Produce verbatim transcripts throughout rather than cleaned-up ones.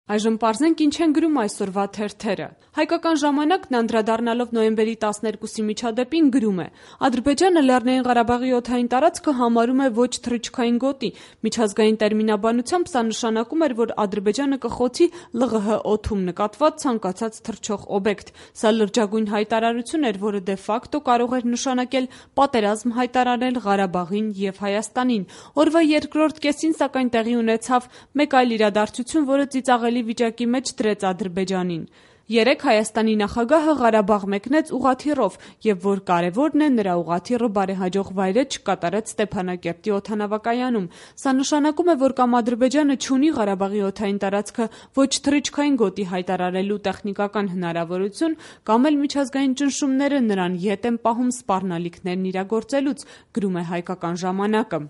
Այժմ պարզենք ինչ են գրում այսօրվա թերթերը։ Հայկական ժամանակն անդրադառնալով նոյեմբերի տասներկուսի միջադեպին գրում է. Ադրբեջանը Լեռնային Ղարաբաղի օդային տարածքը համարում է ոչ թռիչքային գոտի։ Միջազգային տերմինաբանությամբ սա նշանակում էր, որ Ադրբեջանը կխոցի Լղ Հ օդում նկատված ցանկացած թռչող օբյեկտ։ Սա լրջագույն հայտարարություն էր, որը դե ֆակտո կարող էր նշանակել պատերազմ հայտարարել Ղարաբաղին եւ Հայաստանին։ Օրվա երկրորդ կեսին սակայն տեղի ունեցավ մեկ այլ իրադարձություն, որը ծիծաղելի վիճակի մեջ դրեց Ադրբեջանին։ Երեկ Հայաստանի նախագահը Ղարաբաղ մեկնեց ուղղաթիռով եւ որ կարեւորն է, նրա ուղղաթիռը բարեհաջող վայրէջք կատարեց Ստեփանակերտի օդանավակայանում։ Սա նշանակում է, որ կամ Ադրբեջանը չունի Ղարաբաղի օդային տարածքը ոչ թռիչքային գոտի հայտարարելու տեխնիկական հնարավորություն, կամ էլ միջազգային ճնշումները նրան ետ են պահում սպառնալիքներն իրագործելուց, գրում է Հայկական ժամանակը։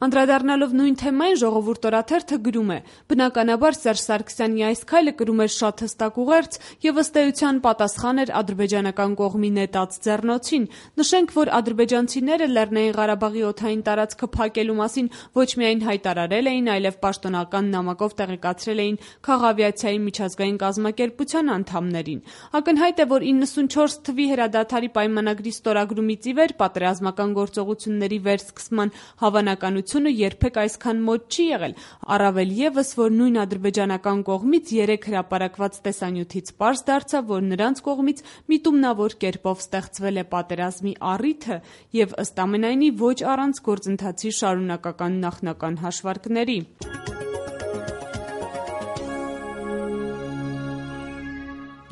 Անդրադառնալով նույն թեմային Ժողովուրդ օրաթերթը գրում է. բնականաբար Սերժ Սարգսյանի այս քայլը կրում էր շատ հստակ ուղերձ եւ ըստ էության պատասխան էր ադրբեջանական կողմի նետած ձեռնոցին։ Նշենք, որ ադրբեջանցիները Լեռնային Ղարաբաղի օդային տարածքը փակելու մասին ոչ միայն հայտարարել էին, այլև պաշտոնական նամակով տեղեկացրել էին Քաղավիացիայի միջազգային կազմակերպության անդամներին։ Ակնհայտ է, որ իննսունչորս թվականի հրադադարի պայմանագրի ստորագրումից ի վեր պատերազմական գործողությունների վերսկսման հավանականությունը երբեք այսքան մոտ չի եղել, առավել ևս, որ նույն ադրբեջանական կողմից երեկ հրապարակված տեսանյութից պարզ դարձավ, որ նրանց կողմից միտումնավոր կերպով ստեղծվել է պատերազմի առիթը եւ ըստ ամենայնի ոչ առանց գործընթացի շարունակական նախնական հաշվարկների։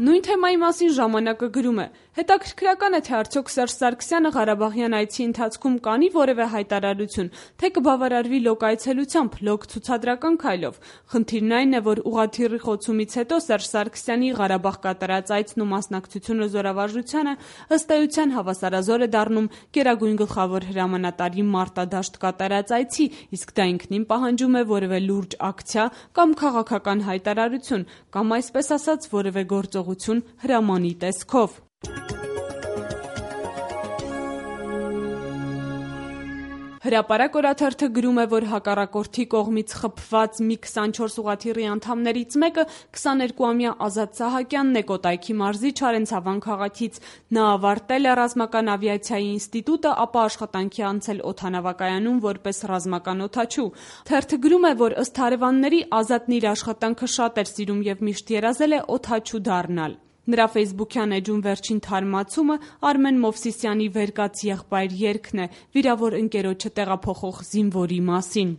Նույն թեմայի մասին ժամանակը գրում է. հետաքրքրական է, թե արդյոք Սերժ Սարգսյանը Ղարաբաղյան այցի ընթացքում կանի որևէ հայտարարություն, թե կբավարարվի լոկ այցելությամբ, լոկ ցուցադրական քայլով։ Խնդիրն այն է, որ ուղղաթիռի խոցումից հետո Սերժ Սարգսյանի Ղարաբաղ կատարած այցն ու մասնակցությունը զորավարժությանը ըստ էության հավասարազոր է դառնում Գերագույն գլխավոր հրամանատարի մարտադաշտ կատարած այցի, իսկ դա ինքնին պահանջում է որևէ լուրջ ակցիա կամ քաղաքական հայտարարություն, կամ այսպես ասած որևէ գործողություն հրամանի տեսքով։ Հրապարակ օրաթերթը գրում է, որ հակառակորդի կողմից խփված մի քսանչորս ուղղաթիռի անդամներից մեկը քսաներկուամյա Ազատ Սահակյանն է Կոտայքի մարզի Չարենցավան քաղաքից։ Նա ավարտել է ռազմական ավիացիայի ինստիտուտը, ապա աշխատանքի անցել օդանավակայանում որպես ռազմական օդաչու։ Թերթը գրում է, որ ըստ հարևանների Ազատն իր աշխատանքը շատ էր սիրում եւ միշտ երազել է օդաչու դառնալ։ Նրա ֆեյսբուքյան էջում վերջին թարմացումը Արմեն Մովսիսյանի «Վեր կաց եղբայր» երգն է՝ վիրավոր ընկերոջը տեղափոխող զինվորի մասին։